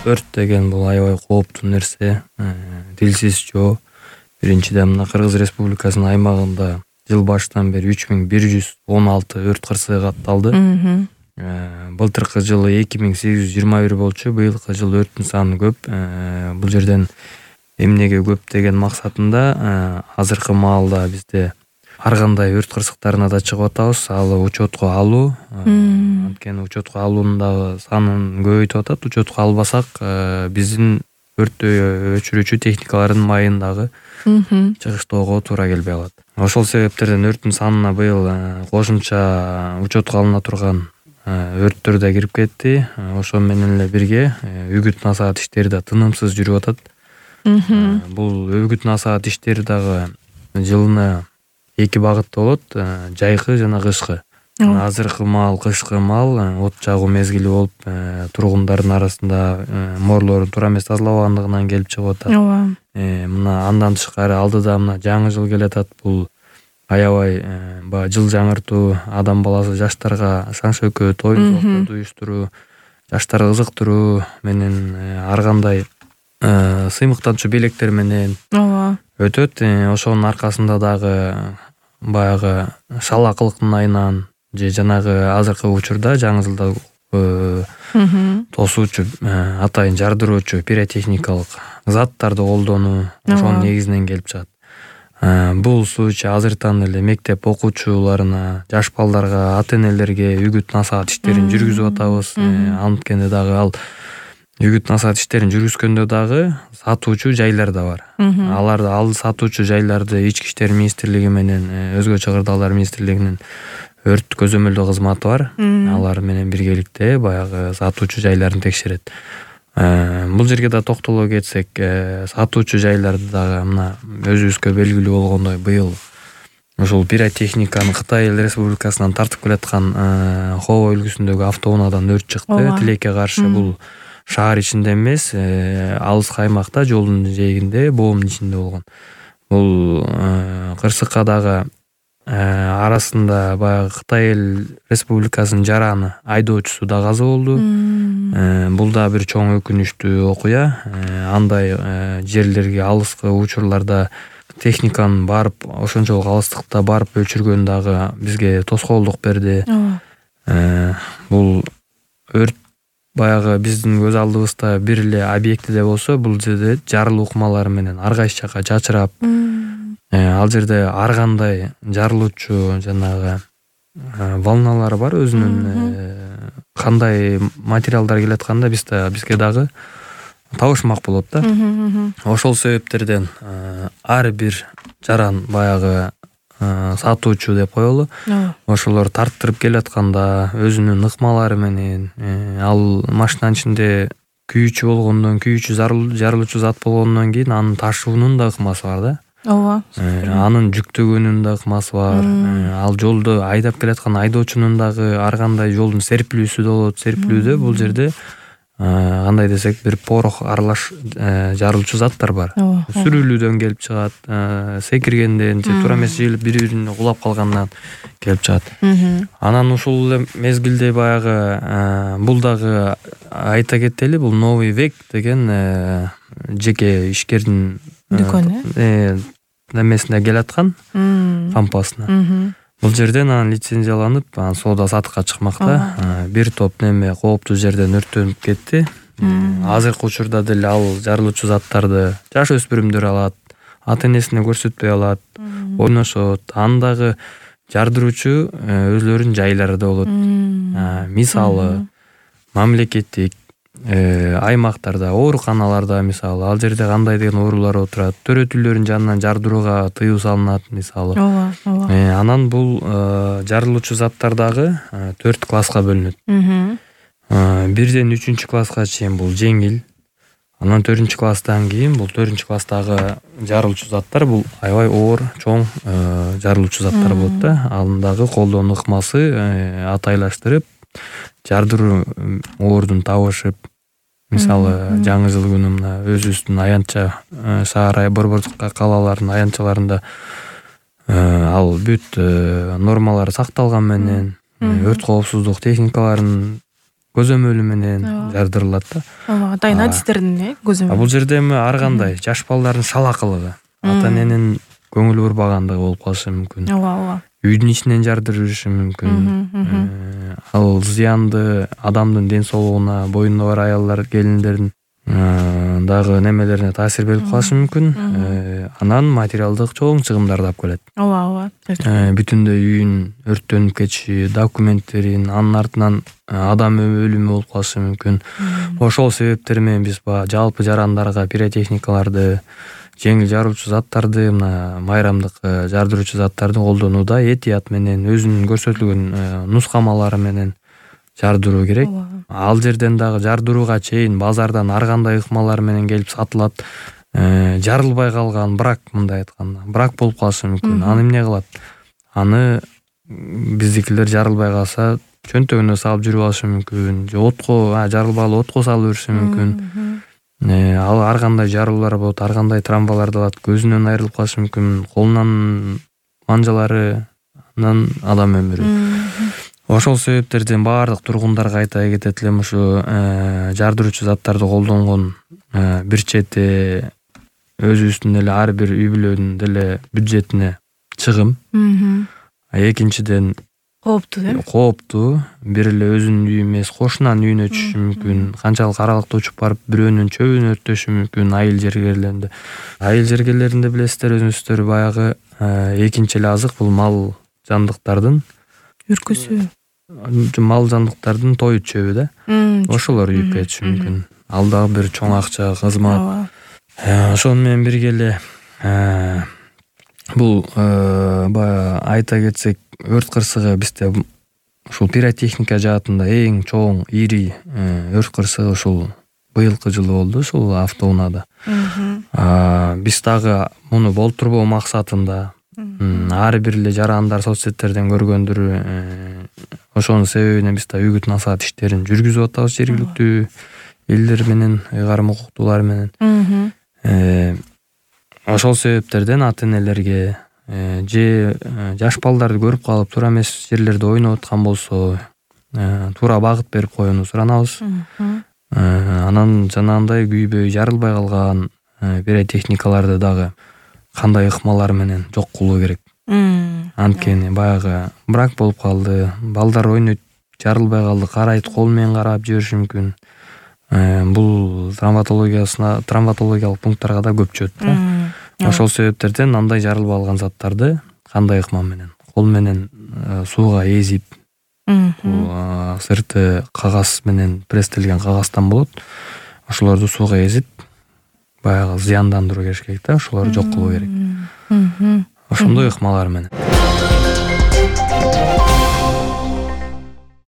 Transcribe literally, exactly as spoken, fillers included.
өрт деген бул аябай кооптуу нерсе. Тилсиз жоо. Биринчиден мына Кыргыз Республикасынын аймагында жыл башынан бери үч миң бир жүз он алты өрт кырсыгы катталды. Былтыркы жылы эки миң сегиз жүз жыйырма бир болчу, быйылкы жылы өрттүн саны көп. Бул жерден эмнеге көп деген максатында азыркы маалда бизде ар кандай өрт кырсыктарына да чыгып атабыз. Ал учетко алуу. Анткени учетко алуунун дагы санын көбөйтүп атат. Учетко албасак, биздин өрттү өчүрүүчү техникалардын майын дагы чыгыштоого туура келбей калат. Ошол себептерден өрттүн санына быйыл кошумча учетко алына турган өрттөр да кирип кетти. Ошо менен эле бирге үгүт насаат иштери да тынымсыз жүрүп атат. Бул үгүт насаат иштери дагы жылына эки багытта болот, жайкы жана кышкы. Азыркы маал кышкы маал от жагуу мезгили болуп, тургундардын арасында mooрлордун туура эмес тазалабагандыгынан келип чыгып атат. Ооба. Мына андан тышкары алдыда мына жаңы жыл келатат. Бул аябай баягы жыл жаңыртуу, адам баласы жаштарга шаң шөкөт, оюн зоокторду уюштуруу, жаштарга кызыктыруу менен ар кандай сыймыктанчу белектер менен өтөт. Ошонун аркасында дагы баягы шалакылыктын айынан же жанагы азыркы учурда жаңы жылда тосуучу, атайын жардыруучу пиротехникалык заттарды колдонуу ошонун негизинен келип чыгат. Бул случай азыртан эле мектеп окуучуларына, жаш балдарга, ата-энелерге үгүт насаат иштерин жүргүзүп атабыз. Анткени дагы ал үгүт насаат иштерин жүргүзгөндө дагы сатуучу жайлар да бар. Аларды ал сатуучу жайларды Ички иштер министрлиги менен өзгө чыгырдалар министрлигинин өрт көзөмөлдөө кызматы бар. Алар менен биргеликте баягы сатуучу жайларын текшерет. Бул жерге да токтоло кетсек, сатуучу жайларды дагы мына өзүбүзгө белгилүү болгондой быйыл ошол пиротехниканы Кытай Республикасынан тартып келаткан Хова өлкөсүндөгү автоунаадан өрт чыкты. Тилекке каршы бул шаар ичинде эмес, алыс аймакта, жолдун жээгинде, боомдун ичинде болгон. Бул кырсыкка дагы арасында баягы Кытай Республикасынын жараны айдоочусу да каза болду. Бул да бир чоң өкүнүчтүү окуя. Андай жерлерге алыскы учурларда техниканын барып, ошончолук алыстыкта барып өчүргөн дагы бизге тоскоолдук берди. Бул өрт баягы биздин көз алдыбызда бир эле объектиде болсо, бул жерде жарылуу ыкмалары менен ар кайсы жака чачырап, ал жерде ар кандай жарылуучу жанагы волналар бар, өзүнүн кандай материалдар келатканда бизге дагы табышмак болот да. Ошол себептерден ар бир жаран баягы сатуучу деп коелу. Ошолор тарттырып келатканда өзүнүн ыкмалары менен, ал машинанын ичинде күйүүчү болгондон, күйүүчү жарылуучу зат болгондон кийин анын ташуунун да ыкмасы бар да. Ооба. Анын жүктөгөнүнүн да ыкмасы бар. Ал жолдо айдап келаткан айдоочунун дагы ар кандай жолдун серпилүүсү да болот. Серпилүүдө бул жерде кандай десек, бир порох аралаш жарылуучу заттар бар. Сүрүлүүдөн келип чыгат, секиргенден же туура эмес жыйылып бири-бирине кулап калгандан келип чыгат. Анан ушул эле мезгилде баягы бул дагы айта кетели, бул Новый век деген жеке ишкердин дүкөнү немесине келаткан, кампасына. Бул жерден анан лицензияланып, анан соода сатыкка чыкмакта. Бир топ неме кооптуу жерден өрттөнүп кетти. Азыркы учурда деле ал жарылуучу заттарды жаш өспүрүмдөр алат, ата-энесине көрсөтпөй алат, ойношот. Андагы жардыруучу өзлөрүнүн жайлары да болот. Мисалы, мамлекеттик аймактарда, ооруканаларда мисалы, ал жерде кандай деген оорулар отурат, төрөтүүлөрдүн жанынан жардырууга тыюу салынат мисалы. Ооба, ооба. Анан бул жарылуучу заттар дагы төрт класска бөлүнөт. Бирден үчүнчү класска чейин бул жеңил. Анан төртүнчү класстан кийин бул төртүнчү класстагы жарылуучу заттар бул аябай оор, чоң жарылуучу заттар болот да. Андагы колдонуу ыкмасы атайлаштырып, жардыруу оордун табышып, мисалы жаңы жыл күнү мына өзүбүздүн аянтча шаар борбордук калалардын аянтчаларында ал бүт нормалар сакталган менен, өрт коопсуздук техникаларын көзөмөлү менен жардырылат да. Ооба, атайын адистердин э көзөмөлү. Бул жерде эми ар кандай жаш балдардын салакылыгы, ата эненин көңүл бурбагандыгы болуп калышы мүмкүн. Ооба, ооба. Үйдүн ичинен жардырып жүрүшү мүмкүн. Ал зыянды адамдын ден соолугуна, боюнда бар аялдар, келиндердин дагы немелерине таасир берип калышы мүмкүн. Анан материалдык чоң чыгымдарды алып келет. Ооба, ооба. Бүтүндөй үйүн өрттөнүп кетиши, документтерин, анын артынан адам өлүмү болуп калышы мүмкүн. Ошол себептер менен биз баягы жалпы жарандарга пиротехникаларды, жеңил жаруучу заттарды, мына майрамдык жардыруучу заттарды колдонууда этият менен, өзүнүн көрсөтүлгөн нускамалары менен жардыруу керек. Ал жерден дагы жардырууга чейин базардан ар кандай ыкмалар менен келип сатылат. Жарылбай калган брак, мындай айтканда, брак болуп калышы мүмкүн. Аны эмне кылат? Аны биздикилер жарылбай калса чөнтөгүнө салып жүрүп алышы мүмкүн. Же отко, жарылбагалы отко салып бериши мүмкүн. Ал ар кандай жарылуулар болот, ар кандай травмаларды алат, көзүнөн айрылып калышы мүмкүн, колунан манжалары, анан адам өмүрү. Ошол себептерден баардык тургундарга айта кетет элем, ушу жардыруучу заттарды колдонгон бир чети өзүбүздүн эле ар бир үй бүлөнүн деле бюджетине чыгым. Экинчиден кооптуу, э? Кооптуу. Бир эле өзүнүн үйү эмес, кошунанын үйүнө түшүшү мүмкүн. Канчалык аралыкта учуп барып бирөөнүн чөбүн өрттөшү мүмкүн. Айыл жергелеринде. Айыл жергелеринде билесиздер, өзүңүздөр баягы экинчи эле азык бул мал жандыктардын үркүсү. Мал жандыктардын тоют чөбү да. Ошолор үйүп кетиши мүмкүн. Ал дагы бир чоң акча, кызмат. Ошону менен бирге эле бул баягы айта кетсек, өрт кырсыгы бизде ушул пиротехника жаатында эң чоң, ири өрт кырсыгы ушул быйылкы жылы болду, ушул автоунаада. Биз дагы муну болтурбоо максатында ар бир эле жарандар соц сеттерден көргөндүр. Ошонун себебинен биз да үгүт насаат иштерин жүргүзүп атабыз жергиликтүү элдер менен, ыйгарым укуктуулар менен. Ошол себептерден ата энелерге же жаш балдарды көрүп калып туура эмес жерлерде ойноп аткан болсо, туура багыт берип коюуну суранабыз. Анан жанагындай күйбөй жарылбай калган пиротехникаларды дагы кандай ыкмалар менен жок кылуу керек. Анткени баягы брак болуп калды, балдар ойнойт, жарылбай калды, карайт, кол менен карап жибериши мүмкүн. Бул травматологиясына, травматологиялык пункттарга да көп чөт да. Ошол себептерден андай жарылып алган заттарды кандай ыкма менен, кол менен сууга эзип, сырты кагаз менен пресстелген кагаздан болот. Ошолорду сууга эзип, баягы зыяндандыруу керек да, ошолорду жок кылуу керек. Ошондой ыкмалар менен.